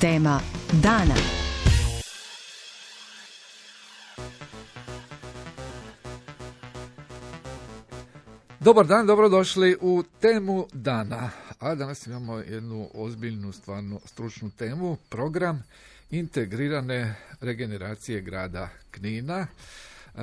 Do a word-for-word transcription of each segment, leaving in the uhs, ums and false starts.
Tema dana. Dobar dan, dobrodošli u Temu dana. A danas imamo jednu ozbiljnu, stvarno stručnu temu, program integrirane regeneracije grada Knina. Uh,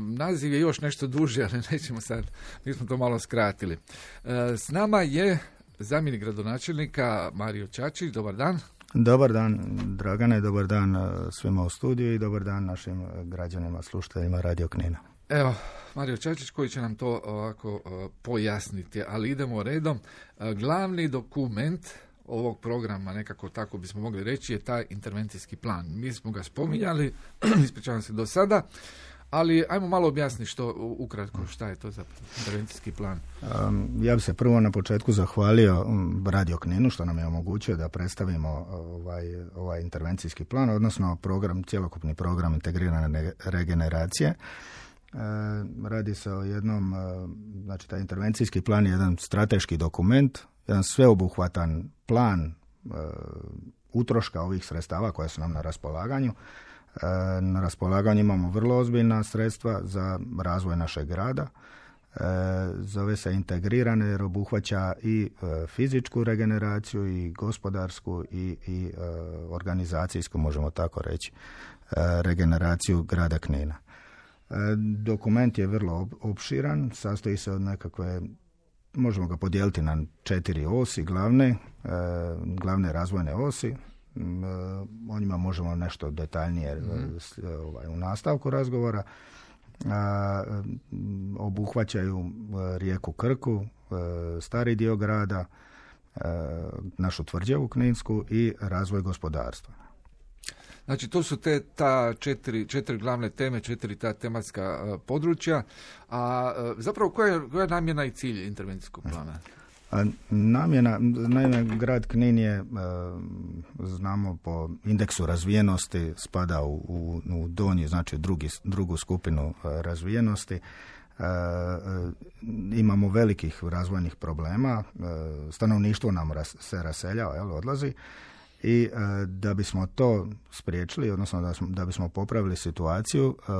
naziv je još nešto duži, ali nećemo sad, mi smo to malo skratili. Uh, s nama je zamjenik gradonačelnika Mario Čačić. Dobar dan. Dobar dan, Dragane, dobar dan svima u studiju i dobar dan našim građanima, slušateljima Radio Knina. Evo, Mario Čačić koji će nam to ovako uh, pojasniti, ali idemo redom. Uh, glavni dokument ovog programa, nekako tako bismo mogli reći, je taj intervencijski plan. Mi smo ga spominjali, ispričavam se do sada, ali ajmo malo objasniti što, ukratko, šta je to za intervencijski plan. Um, ja bih se prvo na početku zahvalio Radio Kninu što nam je omogućio da predstavimo ovaj, ovaj intervencijski plan, odnosno program, cjelokupni program integrirane regeneracije. E, radi se o jednom, znači taj intervencijski plan je jedan strateški dokument, jedan sveobuhvatan plan e, utroška ovih sredstava koja su nam na raspolaganju. E, na raspolaganju imamo vrlo ozbiljna sredstva za razvoj našeg grada. E, zove se integrirane jer obuhvaća i e, fizičku regeneraciju i gospodarsku i, i e, organizacijsku, možemo tako reći, e, regeneraciju grada Knina. E, dokument je vrlo opširan, sastoji se od nekakve, možemo ga podijeliti na četiri osi glavne, e, glavne razvojne osi. E, o njima možemo nešto detaljnije mm. ovaj, u nastavku razgovora. A, obuhvaćaju rijeku Krku, stari dio grada, našu tvrđavu Kninsku i razvoj gospodarstva. Znači, to su te ta četiri, četiri glavne teme, četiri ta tematska uh, područja. A uh, zapravo koja je, koja je namjena i cilj intervencijskog plana? A, namjena, naime, grad Knin je, uh, znamo po indeksu razvijenosti, spada u, u, u donji, znači drugi, drugu skupinu uh, razvijenosti. Uh, uh, imamo velikih razvojnih problema, uh, stanovništvo nam ras, se raseljava, jel, odlazi. I e, da bismo to spriječili, odnosno da, smo, da bismo popravili situaciju, e, e,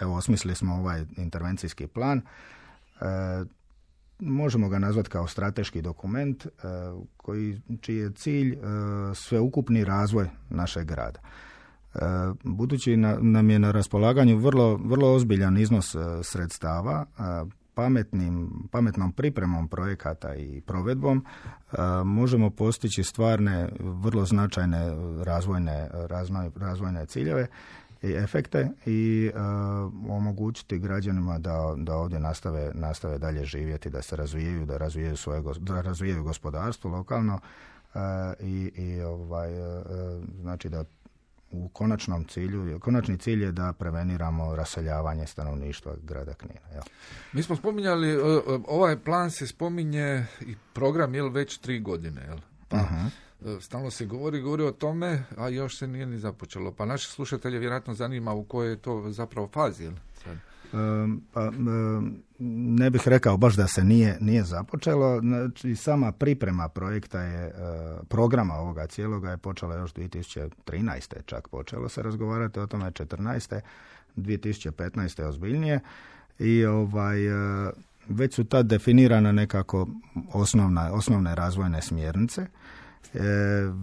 evo osmislili smo ovaj intervencijski plan. E, možemo ga nazvati kao strateški dokument e, koji, čiji je cilj e, sveukupni razvoj našeg grada. E, budući na, nam je na raspolaganju vrlo, vrlo ozbiljan iznos e, sredstava, e, Pametnim, pametnom pripremom projekata i provedbom a, možemo postići stvarne, vrlo značajne razvojne, razvoj, razvojne ciljeve i efekte i a, omogućiti građanima da, da ovdje nastave, nastave dalje živjeti, da se razvijaju, da razvijaju svoje, da razvijaju gospodarstvo lokalno a, i, i ovaj, a, znači da u konačnom cilju, konačni cilj je da preveniramo raseljavanje stanovništva grada Knina. Ja. Mi smo spominjali, ovaj plan se spominje i program, jel, već tri godine, jel? Pa, uh-huh. Stalno se govori, govori o tome, a još se nije ni započelo. Pa naše slušatelje vjerojatno zanima u kojoj je to zapravo fazi, jel? Sad. Um, pa, um, ne bih rekao baš da se nije, nije započelo. Znači, sama priprema projekta je, uh, programa ovoga cijeloga je počela još dvije tisuće trinaeste. Čak počelo se razgovarati o tome četrnaeste. dvije tisuće petnaeste ozbiljnije. I ovaj, uh, već su tad definirane nekako osnovna, osnovne razvojne smjernice. E,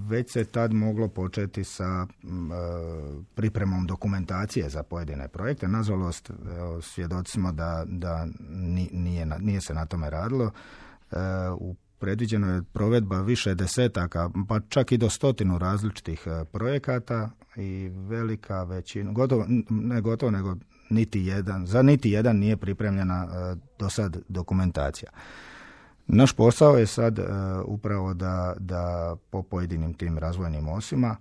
već se tad moglo početi sa e, pripremom dokumentacije za pojedine projekte. Nažalost, e, svjedoci smo da, da nije, nije se na tome radilo. E, u predviđeno je provedba više desetaka, pa čak i do stotinu različitih projekata i velika većina, gotovo, ne gotovo, nego niti jedan, za niti jedan nije pripremljena e, do sad dokumentacija. Naš posao je sad uh, upravo da, da po pojedinim tim razvojnim osima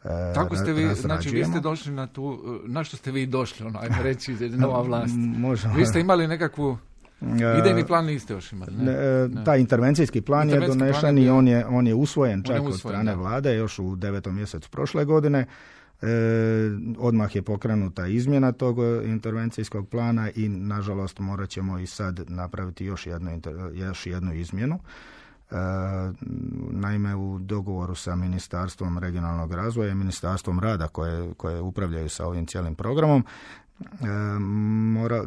uh, Tako ste vi, znači vi ste došli na tu, na što ste vi došli, ono, ajmo reći, nova vlast. Možemo. Vi ste imali nekakvu, idejni plan niste još imali, ne? Ne, ne. Taj intervencijski plan intervencijski je donešen i on je, on je usvojen čak je usvojen, od strane da. vlade još u devetom mjesecu prošle godine. E, odmah je pokrenuta izmjena tog intervencijskog plana i nažalost morat ćemo i sad napraviti još jednu, još jednu izmjenu. Naime, u dogovoru sa Ministarstvom regionalnog razvoja i Ministarstvom rada koje, koje upravljaju sa ovim cijelim programom, mora,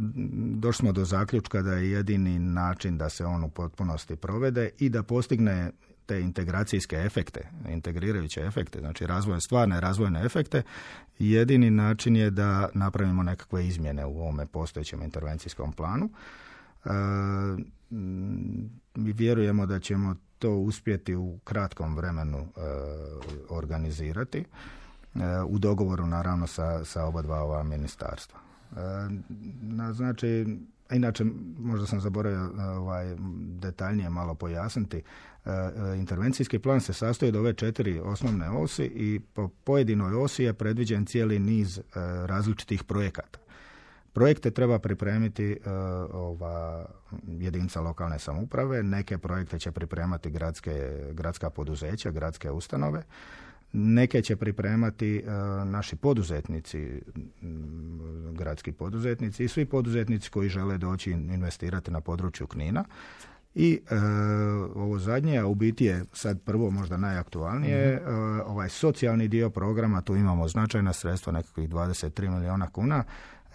došli smo do zaključka da je jedini način da se on u potpunosti provede i da postigne te integracijske efekte, integrirajuće efekte, znači razvojne, stvarne razvojne efekte, jedini način je da napravimo nekakve izmjene u ovome postojećem intervencijskom planu. E, mi vjerujemo da ćemo to uspjeti u kratkom vremenu e, organizati, e, u dogovoru naravno sa, sa oba dva ova ministarstva. E, na, znači, inače, možda sam zaboravio ovaj, detaljnije malo pojasniti. E, intervencijski plan se sastoji od ove četiri osnovne osi i po pojedinoj osi je predviđen cijeli niz e, različitih projekata. Projekte treba pripremiti e, ova jedinica lokalne samouprave, neke projekte će pripremati gradske, gradska poduzeća, gradske ustanove, neke će pripremati e, naši poduzetnici, m, gradski poduzetnici i svi poduzetnici koji žele doći investirati na području Knina. I e, ovo zadnje, a u biti je sad prvo možda najaktualnije, mm-hmm. e, ovaj socijalni dio programa, tu imamo značajna sredstva, nekakvih dvadeset tri milijuna kuna,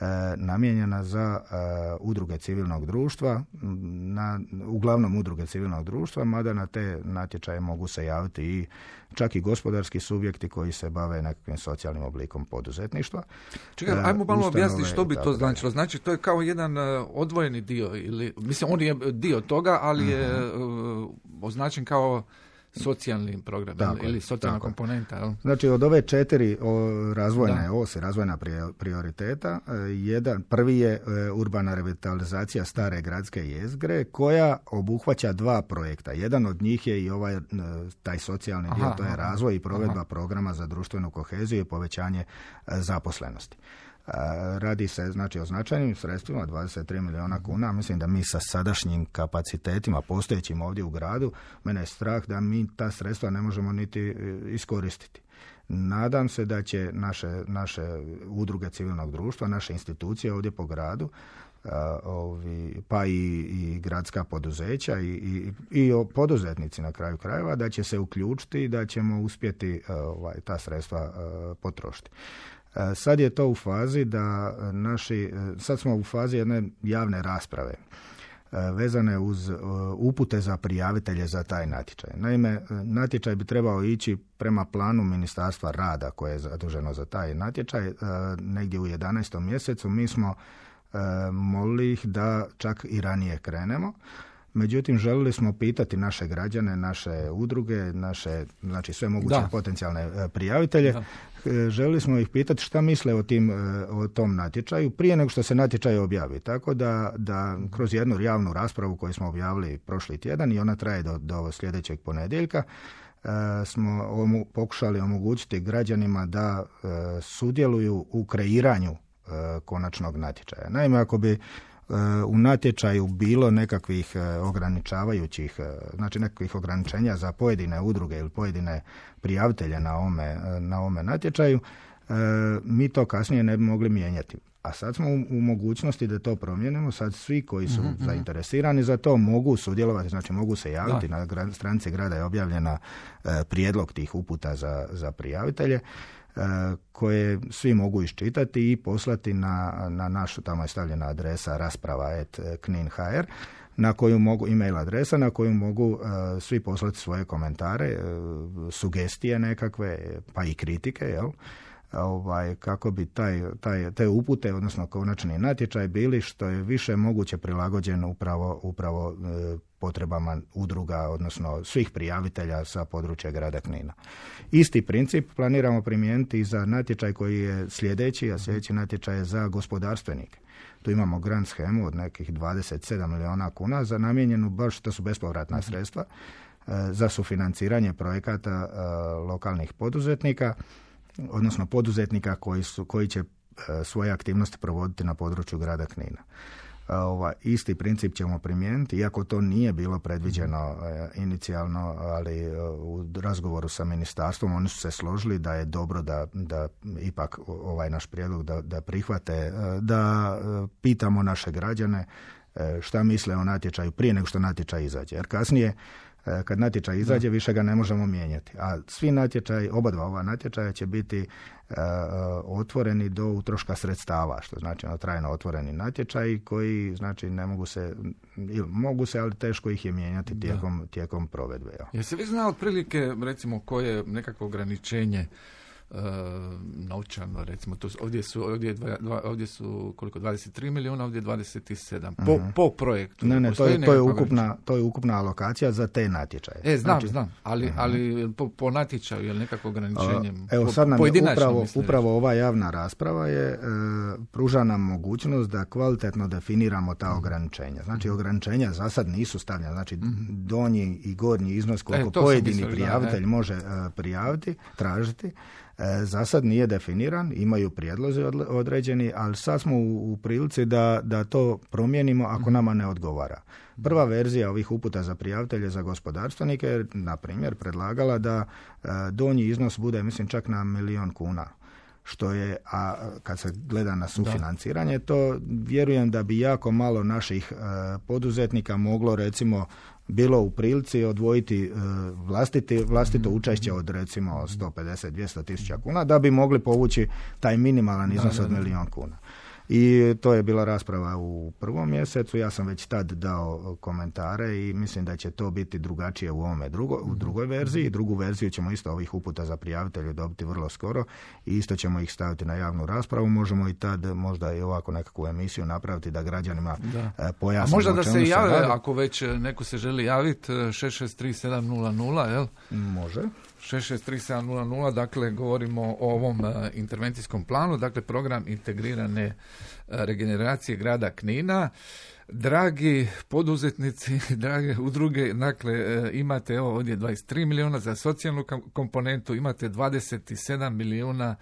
e, namijenjena za e, udruge civilnog društva, na, uglavnom udruge civilnog društva, mada na te natječaje mogu se javiti i čak i gospodarski subjekti koji se bave nekakvim socijalnim oblikom poduzetništva. Čekaj, ajmo malo objasniti što bi to značilo. Znači, to je kao jedan uh, odvojeni dio, ili, mislim, on je dio toga, ali je uh, označen kao socijalni program tako, ili socijalna tako. komponenta. Jel? Znači, od ove četiri o, razvojne ose, razvojna prioriteta, jedan, prvi je e, urbana revitalizacija stare gradske jezgre, koja obuhvaća dva projekta. Jedan od njih je i ovaj taj socijalni dio, aha, to je razvoj i provedba aha. programa za društvenu koheziju i povećanje e, zaposlenosti. Radi se znači o značajnim sredstvima, dvadeset tri milijuna kuna. Mislim da mi sa sadašnjim kapacitetima postojećim ovdje u gradu, mene je strah da mi ta sredstva ne možemo niti iskoristiti. Nadam se da će naše, naše udruge civilnog društva, naše institucije ovdje po gradu, ovi, pa i, i gradska poduzeća i, i, i poduzetnici na kraju krajeva, da će se uključiti i da ćemo uspjeti ovaj, ta sredstva potrošiti. Sad je to u fazi da naši, sad smo u fazi jedne javne rasprave vezane uz upute za prijavitelje za taj natječaj. Naime, natječaj bi trebao ići prema planu Ministarstva rada koje je zaduženo za taj natječaj negdje u jedanaestom mjesecu. Mi smo molili ih da čak i ranije krenemo. Međutim, želili smo pitati naše građane, naše udruge, naše, znači sve moguće da. potencijalne prijavitelje. Da. Želili smo ih pitati šta misle o, tim, o tom natječaju prije nego što se natječaj objavi. Tako da, da kroz jednu javnu raspravu koju smo objavili prošli tjedan i ona traje do, do sljedećeg ponedjeljka, smo omu, pokušali omogućiti građanima da e, sudjeluju u kreiranju e, konačnog natječaja. Naime, ako bi u natječaju bilo nekakvih ograničavajućih, znači nekakvih ograničenja za pojedine udruge ili pojedine prijavitelje na ovome, na ovome natječaju, mi to kasnije ne bi mogli mijenjati. A sad smo u, u mogućnosti da to promijenimo. Sad svi koji su mm-hmm. zainteresirani za to mogu sudjelovati, znači mogu se javiti. Da. Na gra, stranici grada je objavljena e, prijedlog tih uputa za, za prijavitelje, koje svi mogu iščitati i poslati na, na našu, tamo je stavljena adresa rasprava at knin dot h r, na koju mogu, e-mail adresa na koju mogu uh, svi poslati svoje komentare, uh, sugestije nekakve, pa i kritike, jel? Ovaj, kako bi taj, taj, te upute, odnosno konačni natječaj bili što je više moguće prilagođen upravo, upravo uh, potrebama udruga, odnosno svih prijavitelja sa područja grada Knina. Isti princip planiramo primijeniti i za natječaj koji je sljedeći, a sljedeći natječaj je za gospodarstvenike. Tu imamo grant shemu od nekih dvadeset sedam milijuna kuna za namijenjenu, baš to su bespovratna sredstva, za sufinanciranje projekata lokalnih poduzetnika, odnosno poduzetnika koji, su, koji će svoje aktivnosti provoditi na području grada Knina. Ova, isti princip ćemo primijeniti, iako to nije bilo predviđeno e, inicijalno, ali e, u razgovoru sa ministarstvom oni su se složili da je dobro da, da ipak ovaj naš prijedlog da, da prihvate, e, da e, pitamo naše građane e, šta misle o natječaju prije nego što natječaj izađe. Jer kasnije kad natječaj izađe, više ga ne možemo mijenjati. A svi natječaji, oba dva ova natječaja će biti uh, otvoreni do utroška sredstava, što znači no, trajno otvoreni natječaji koji znači ne mogu se, ili mogu se, ali teško ih je mijenjati tijekom, tijekom provedbe. Ja. Jesi vi znao otprilike, recimo, koje je nekakvo ograničenje Uh, novčano, recimo, to, ovdje, su, ovdje, je dva, dva, ovdje su koliko, dvadeset tri milijuna, ovdje dvadeset sedam, po, uh-huh. po projektu. Ne, ne, to je, to, je ukupna, to je ukupna alokacija za te natječaje. E, znam, znači, znam, ali, uh-huh. ali po, po natječaju je li nekako ograničenje? Uh, evo, sad nam je upravo, upravo ova javna rasprava je, e, pruža nam mogućnost da kvalitetno definiramo ta uh-huh. ograničenja. Znači, uh-huh. ograničenja za sad nisu stavljena, znači uh-huh. donji i gornji iznos koliko e, pojedini mislili, prijavitelj da, može uh, prijaviti, tražiti. E, za sad nije definiran, imaju prijedlozi određeni, ali sad smo u, u prilici da, da to promijenimo ako nama ne odgovara. Prva verzija ovih uputa za prijavitelje za gospodarstvenike je, na primjer, predlagala da e, donji iznos bude, mislim, čak na milijon kuna. Što je, a kad se gleda na sufinanciranje, to vjerujem da bi jako malo naših e, poduzetnika moglo, recimo, bilo u prilici odvojiti uh, vlastiti, vlastito učešće od recimo sto pedeset do dvjesto tisuća kuna da bi mogli povući taj minimalan iznos da, da, da. od milijun kuna. I to je bila rasprava u prvom mjesecu, ja sam već tad dao komentare i mislim da će to biti drugačije u ovome drugo, u drugoj verziji. Drugu verziju ćemo isto ovih uputa za prijavitelje dobiti vrlo skoro i isto ćemo ih staviti na javnu raspravu. Možemo i tad možda i ovako nekakvu emisiju napraviti da građanima da. pojasnimo. A možda da se jave, radi. Ako već neko se želi javiti, šest šest tri sedam nula nula, jel? Može. šest šest tri sedam nula nula, dakle govorimo o ovom uh, intervencijskom planu, dakle program integrirane uh, regeneracije grada Knina. Dragi poduzetnici, drage udruge, dakle uh, imate evo ovdje dvadeset tri milijuna za socijalnu komponentu, imate dvadeset sedam milijuna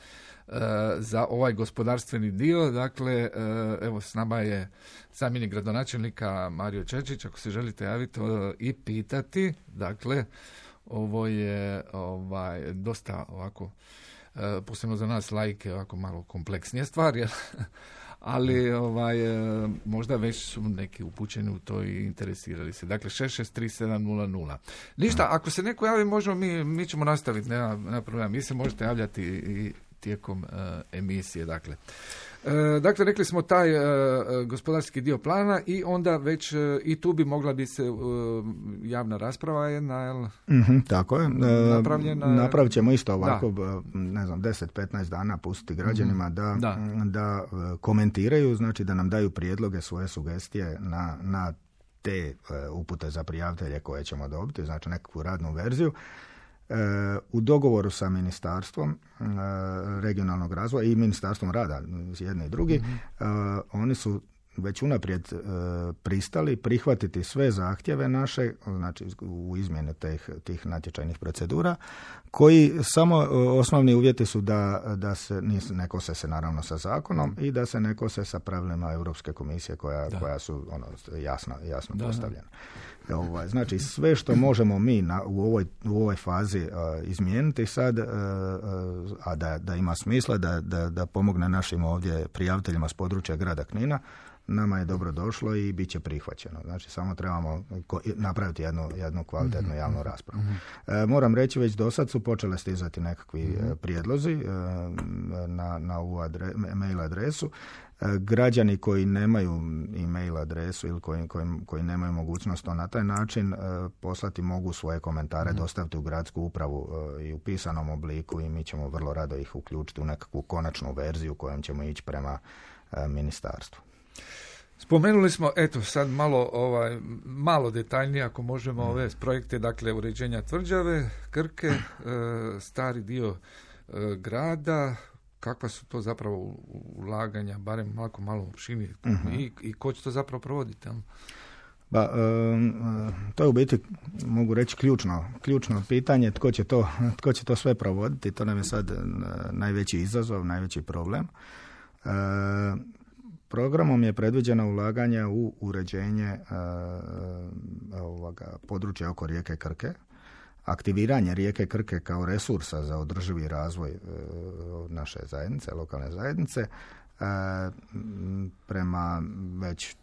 uh, za ovaj gospodarstveni dio, dakle uh, evo s nama je zamjenik gradonačelnika Mario Čečić, ako se želite javiti uh, i pitati, dakle ovo je ovaj dosta ovako, uh, posebno za nas laike, ovako malo kompleksnije stvar, jel? Ali ovaj, uh, možda već su neki upućeni u to i interesirali se. Dakle, šest šest tri sedam nula nula. Ništa, ako se neko javi, možemo mi, mi ćemo nastaviti, nema, nema problema. Mi se možete javljati i tijekom uh, emisije, dakle. E, dakle, rekli smo taj e, gospodarski dio plana i onda već e, i tu bi mogla biti se e, javna rasprava jedna, jel? Mm-hmm, tako je. E, napravljena. Napravit ćemo isto ovako, da. ne znam, deset do petnaest dana pustiti građanima mm-hmm. da, da. da komentiraju, znači da nam daju prijedloge, svoje sugestije na, na te e, upute za prijavitelje koje ćemo dobiti, znači nekakvu radnu verziju. U dogovoru sa Ministarstvom regionalnog razvoja i Ministarstvom rada, jedni i drugi, mm-hmm. oni su već unaprijed pristali prihvatiti sve zahtjeve naše, znači u izmjene tih, tih natječajnih procedura, koji samo osnovni uvjeti su da, da se ne kose se naravno sa zakonom i da se ne kose sa pravilima Europske komisije koja, koja su ono, jasno, jasno da, postavljena. Ovaj, znači sve što možemo mi na, u, ovoj, u ovoj fazi uh, izmijeniti sad, uh, uh, a da, da ima smisla da, da, da pomogne našim ovdje prijaviteljima s područja grada Knina, nama je dobro došlo i bit će prihvaćeno. Znači samo trebamo ko, napraviti jednu, jednu kvalitetnu javnu raspravu. Mm-hmm. E, moram reći, već do sad su počele stizati nekakvi mm-hmm. prijedlozi e, na, na ovu adre, mail adresu. E, građani koji nemaju e-mail adresu ili koji, koji, koji nemaju mogućnost to na taj način e, poslati mogu svoje komentare mm-hmm. dostaviti u gradsku upravu e, i u pisanom obliku i mi ćemo vrlo rado ih uključiti u nekakvu konačnu verziju kojom ćemo ići prema e, ministarstvu. Spomenuli smo, eto, sad malo, ovaj, malo detaljnije, ako možemo, ove projekte, dakle, uređenja tvrđave, Krke, e, stari dio e, grada, kakva su to zapravo ulaganja, barem malo, malo u šini, uh-huh. i, i ko će to zapravo provoditi? Ba, um, to je u biti, mogu reći, ključno, ključno pitanje, tko će to, tko će to sve provoditi, to nam je sad najveći izazov, najveći problem. E, Programom je predviđeno ulaganje u uređenje uh, ovoga područja oko rijeke Krke, aktiviranje rijeke Krke kao resursa za održivi razvoj uh, naše zajednice, lokalne zajednice, uh, prema već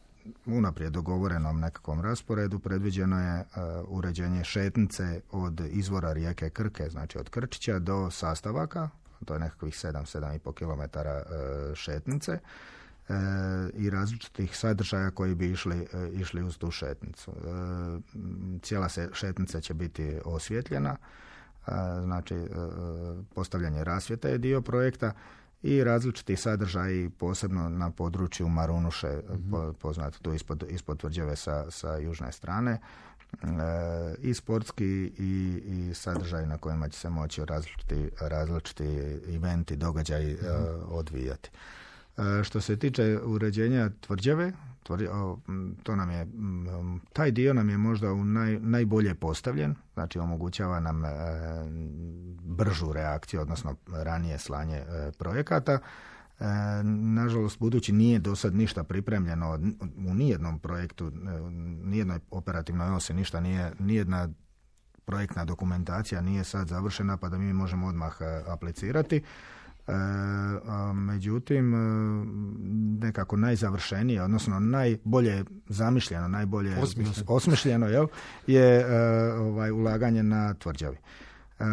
unaprijed dogovorenom nekakvom rasporedu predviđeno je uh, uređenje šetnice od izvora rijeke Krke, znači od Krčića do Sastavaka, to je nekakvih sedam do sedam i pol kilometara uh, šetnice uh, i različitih sadržaja koji bi išli, uh, išli uz tu šetnicu. Uh, cijela se šetnica će biti osvjetljena, uh, znači uh, postavljanje rasvjeta je dio projekta i različiti sadržaji, posebno na području Marunuše, mm-hmm. poznato tu ispod, ispod tvrđave sa, sa južne strane, e, i sportski i, i sadržaji na kojima će se moći različiti, različiti eventi, događaji mm-hmm. e, odvijati. E, što se tiče uređenja tvrđave, tvrđe, o, to nam je, m, taj dio nam je možda u naj, najbolje postavljen, znači omogućava nam e, bržu reakciju, odnosno ranije slanje e, projekata. E, nažalost, budući nije do sad ništa pripremljeno u nijednom projektu, e, nijednoj operativnoj osi, ništa nije, nijedna projektna dokumentacija nije sad završena, pa da mi možemo odmah e, aplicirati. E, a, međutim, nekako najzavršenije, odnosno najbolje zamišljeno, najbolje osmišljeno, osmišljeno jel, je e, ovaj, ulaganje na tvrđavi. E,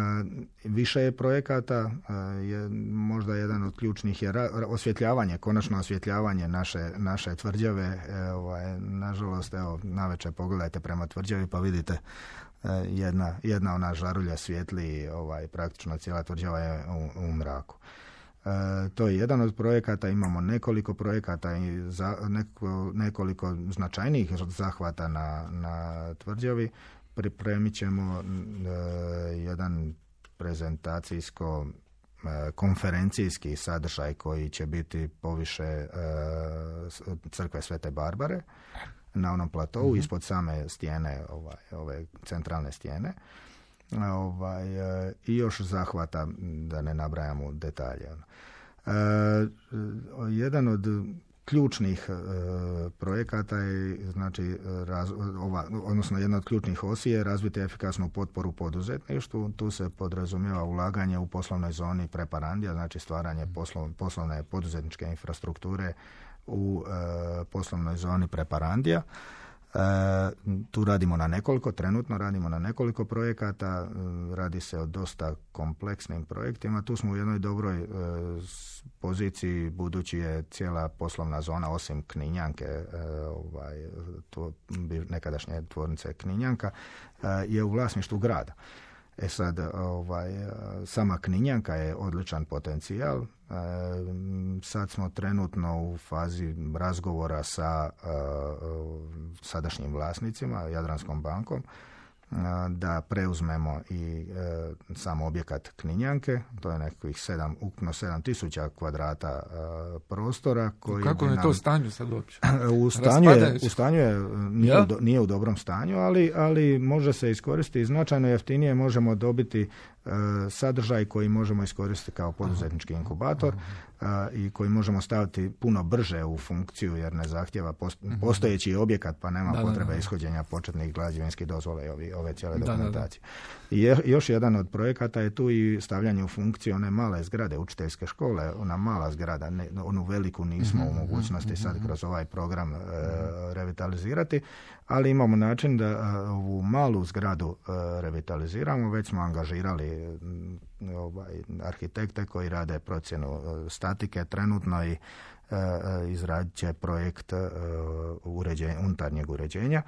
više je projekata, e, je možda jedan od ključnih je ra, osvjetljavanje, konačno osvjetljavanje naše, naše tvrđave. E, ovaj, nažalost, evo, navečer pogledajte prema tvrđavi pa vidite e, jedna, jedna ona žarulja svijetli, ovaj, praktično cijela tvrđava je u, u mraku. E, to je jedan od projekata, imamo nekoliko projekata i za, neko, nekoliko značajnijih zahvata na, na tvrđavi. Pripremit ćemo e, jedan prezentacijsko e, konferencijski sadržaj koji će biti poviše e, crkve Svete Barbare na onom platovu, mm-hmm. ispod same stijene, ovaj, ove centralne stijene. Ovaj, e, i još zahvata, da ne nabrajamo detalje. E, jedan od ključnih e, projekata je, znači, raz, ova, odnosno jedna od ključnih osi je razviti efikasnu potporu poduzetništvu. Tu se podrazumijeva ulaganje u poslovnoj zoni Preparandija, znači stvaranje poslov, poslovne poduzetničke infrastrukture u e, poslovnoj zoni Preparandija. E, tu radimo na nekoliko, trenutno radimo na nekoliko projekata, e, radi se o dosta kompleksnim projektima. Tu smo u jednoj dobroj e, poziciji, budući je cijela poslovna zona, osim Kninjanke, e, ovaj, to, nekadašnje tvornice Kninjanka, e, je u vlasništvu grada. E sad, ovaj, sama Kninjanka je odličan potencijal. E, sad smo trenutno u fazi razgovora sa e, sadašnjim vlasnicima, Jadranskom bankom, e, da preuzmemo i e, sam objekat Kninjanke. To je nekakvih sedam, ukupno sedam tisuća kvadrata e, prostora. Koji kako je nam, to stanje sad uopće? U stanju je, u stanju je nije, ja? u do, nije u dobrom stanju, ali, ali može se iskoristiti značajno jeftinije, možemo dobiti sadržaj koji možemo iskoristiti kao poduzetnički inkubator a, i koji možemo staviti puno brže u funkciju jer ne zahtjeva post, postojeći objekat pa nema da, potrebe da, da. ishođenja početnih građevinskih dozvola i ovi, ove cijele dokumentacije. Da, da, da. I je, još jedan od projekata je tu i stavljanje u funkciju one male zgrade, učiteljske škole, ona mala zgrada, ne, onu veliku nismo mm-hmm, u mogućnosti mm-hmm. sad kroz ovaj program e, revitalizirati, ali imamo način da a, ovu malu zgradu a, revitaliziramo, već smo angažirali ovaj, arhitekte koji rade procjenu statike trenutno i e, izradit će projekt e, uređenja, unutarnjeg uređenja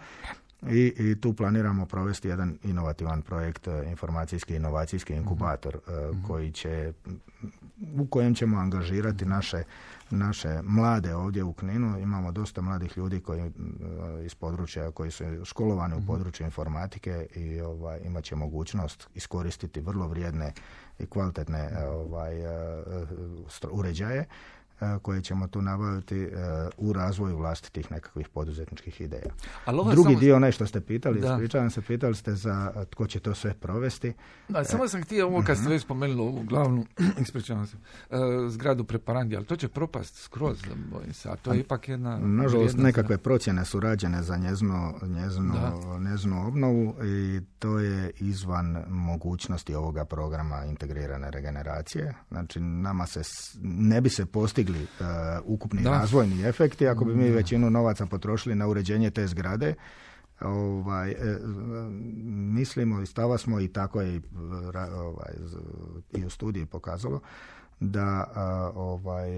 I, i tu planiramo provesti jedan inovativan projekt, informacijski inovacijski inkubator mm-hmm. koji će, u kojem ćemo angažirati naše, naše mlade ovdje u Kninu. Imamo dosta mladih ljudi koji iz područja, koji su školovani mm-hmm. u području informatike i ovaj, imat će mogućnost iskoristiti vrlo vrijedne i kvalitetne ovaj, uređaje koje ćemo tu nabaviti uh, u razvoju vlastitih nekakvih poduzetničkih ideja. Drugi samo... dio, onaj što ste pitali, ispričavam se, pitali ste za tko će to sve provesti. Da, samo sam htio ovo kad ste već spomenuli ovu glavnu, ispričavam se, uh, zgradu Preparandija, ali to će propast skroz, bojim se, a to je ipak jedna... Nažalost, nekakve za... procjene su rađene za njeznu, njeznu, njeznu obnovu i to je izvan mogućnosti ovoga programa integrirane regeneracije. Znači, nama se ne bi se postiglo postigli uh, ukupni da. razvojni efekti ako bi mi većinu novaca potrošili na uređenje te zgrade. Ovaj, e, mislimo i stava smo i tako je ovaj, i u studiji pokazalo da a, ovaj,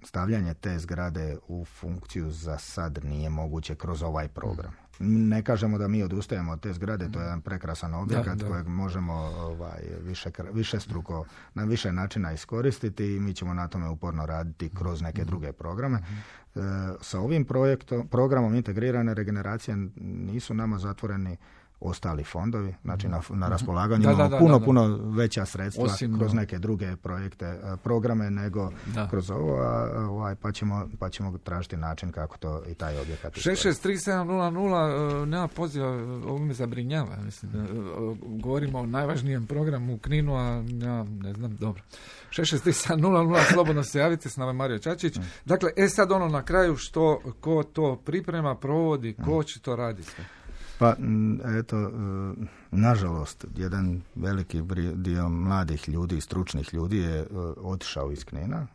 stavljanje te zgrade u funkciju za sad nije moguće kroz ovaj program. Ne kažemo da mi odustajemo od te zgrade, to je jedan prekrasan objekat da, da. kojeg možemo ovaj, više, više struko na više načina iskoristiti i mi ćemo na tome uporno raditi kroz neke druge programe. E, sa ovim projektom, programom integrirane regeneracije nisu nama zatvoreni ostali fondovi, znači na, na raspolaganju da, imamo da, da, puno, da, da. puno veća sredstva Osim, kroz neke druge projekte, programe nego da. kroz ovo, a, ovaj, pa, ćemo, pa ćemo tražiti način kako to i taj objekat iskoristiti. šest šest tri sedam nula nula nema poziva, ovo me zabrinjava. Mislim, govorimo o najvažnijem programu u Kninu, a ja ne znam, dobro. šest šest tri sedam nula nula, slobodno se javite, s nama je Mario Čačić. Mm. Dakle, e sad ono na kraju, što, ko to priprema, provodi, ko mm. će to raditi sve? Pa, eto, nažalost, jedan veliki dio mladih ljudi, stručnih ljudi je otišao iz Knina.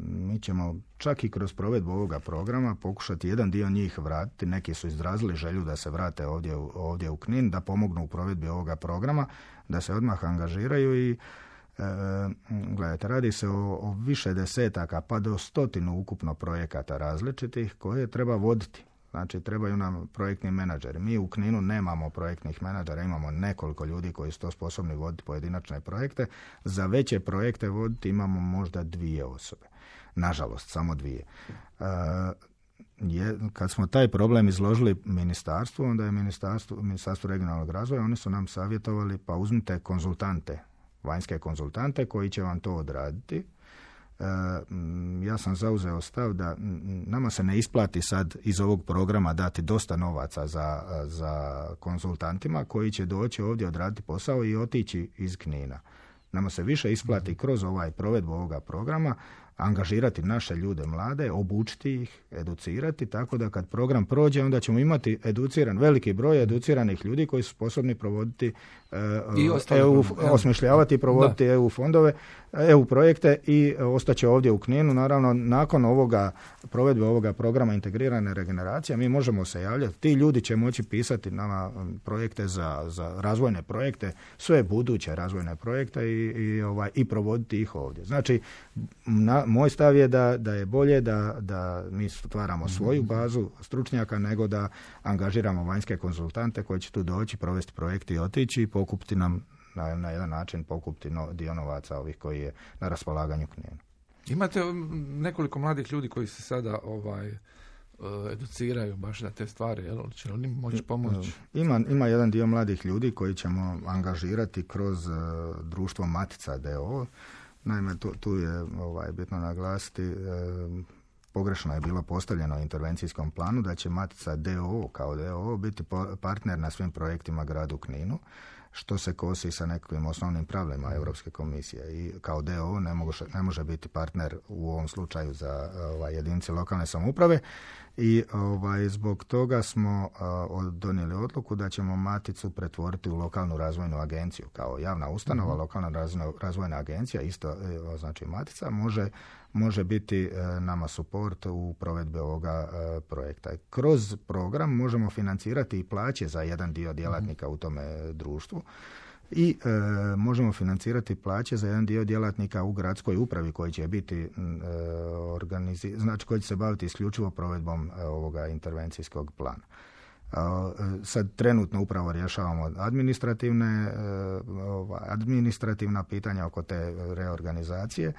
Mi ćemo čak i kroz provedbu ovoga programa pokušati jedan dio njih vratiti. Neki su izrazili želju da se vrate ovdje, ovdje u Knin, da pomognu u provedbi ovoga programa, da se odmah angažiraju i E, gledajte, radi se o, o više desetaka pa do stotinu ukupno projekata različitih koje treba voditi. Znači, trebaju nam projektni menadžeri. Mi u Kninu nemamo projektnih menadžera, imamo nekoliko ljudi koji su to sposobni voditi pojedinačne projekte. Za veće projekte voditi imamo možda dvije osobe. Nažalost, samo dvije. E, je, kad smo taj problem izložili ministarstvu, onda je ministarstvo, ministarstvo regionalnog razvoja, oni su nam savjetovali, pa uzmite konzultante, vanjske konzultante koji će vam to odraditi. E, ja sam zauzeo stav da nama se ne isplati sad iz ovog programa dati dosta novaca za, za konzultantima koji će doći ovdje odraditi posao i otići iz Knina. Nama se više isplati kroz ovaj provedbu ovoga programa angažirati naše ljude mlade, obučiti ih, educirati, tako da kad program prođe, onda ćemo imati educiran, veliki broj educiranih ljudi koji su sposobni provoditi I E U, osmišljavati i provoditi da. E U fondove, E U projekte i ostaće ovdje u Kninu. Naravno, nakon ovoga provedbe ovoga programa integrirane regeneracije, mi možemo se javljati. Ti ljudi će moći pisati nama projekte za, za razvojne projekte, sve buduće razvojne projekte i, i, ovaj, i provoditi ih ovdje. Znači, na, moj stav je da, da je bolje da, da mi stvaramo svoju bazu stručnjaka nego da angažiramo vanjske konzultante koji će tu doći, provesti projekte i otići i pokupiti nam na, na jedan način pokupiti no, dio novaca ovih koji je na raspolaganju Kninu. Imate nekoliko mladih ljudi koji se sada ovaj educiraju baš za te stvari, jel? Će li moći pomoći? Ima, ima jedan dio mladih ljudi koji ćemo angažirati kroz uh, društvo Matica d o o. Naime, tu, tu je ovaj, bitno naglasiti, uh, pogrešno je bilo postavljeno u intervencijskom planu da će Matica d o o kao d o o biti partner na svim projektima gradu Kninu, što se kosi sa nekakvim osnovnim pravilima Europske komisije. I kao d o o ne, mogu, ne može biti partner u ovom slučaju za ovaj, jedinice lokalne samouprave i ovaj, zbog toga smo uh, donijeli odluku da ćemo Maticu pretvoriti u lokalnu razvojnu agenciju. Kao javna ustanova, mm-hmm. lokalna razvojna, razvojna agencija, isto znači Matica, može može biti e, nama suport u provedbi ovoga e, projekta. Kroz program možemo financirati i plaće za jedan dio djelatnika mm-hmm. u tome društvu i e, možemo financirati plaće za jedan dio djelatnika u gradskoj upravi koji će biti e, organizi- znači koji će se baviti isključivo provedbom e, ovoga intervencijskog plana. E, sad trenutno upravo rješavamo administrativne, e, ova, administrativna pitanja oko te reorganizacije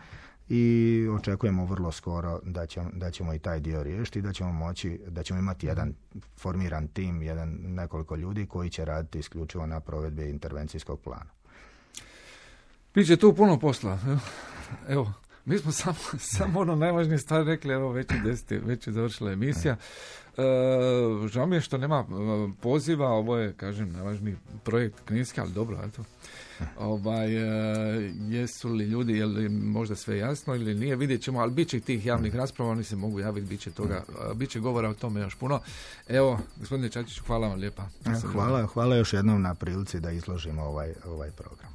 i očekujemo vrlo skoro da ćemo, da ćemo i taj dio riješiti i da ćemo moći, da ćemo imati jedan formiran tim, jedan nekoliko ljudi koji će raditi isključivo na provedbi intervencijskog plana. Biće tu puno posla. Evo, mi smo samo, samo ono najvažnije stvari rekli, evo već je deseti, već je završila emisija. E, žao mi je što nema poziva, ovo je, kažem, najvažniji projekt kninski, ali dobro, eto. Ovaj, e, jesu li ljudi, je li možda sve jasno ili nije, vidjet ćemo, ali bit će tih javnih rasprava, oni se mogu javiti, bit će toga, bit će govora o tome još puno. Evo, gospodine Čačiću, hvala vam lijepa. Hvala, hvala još jednom na prilici da izložimo ovaj, ovaj program.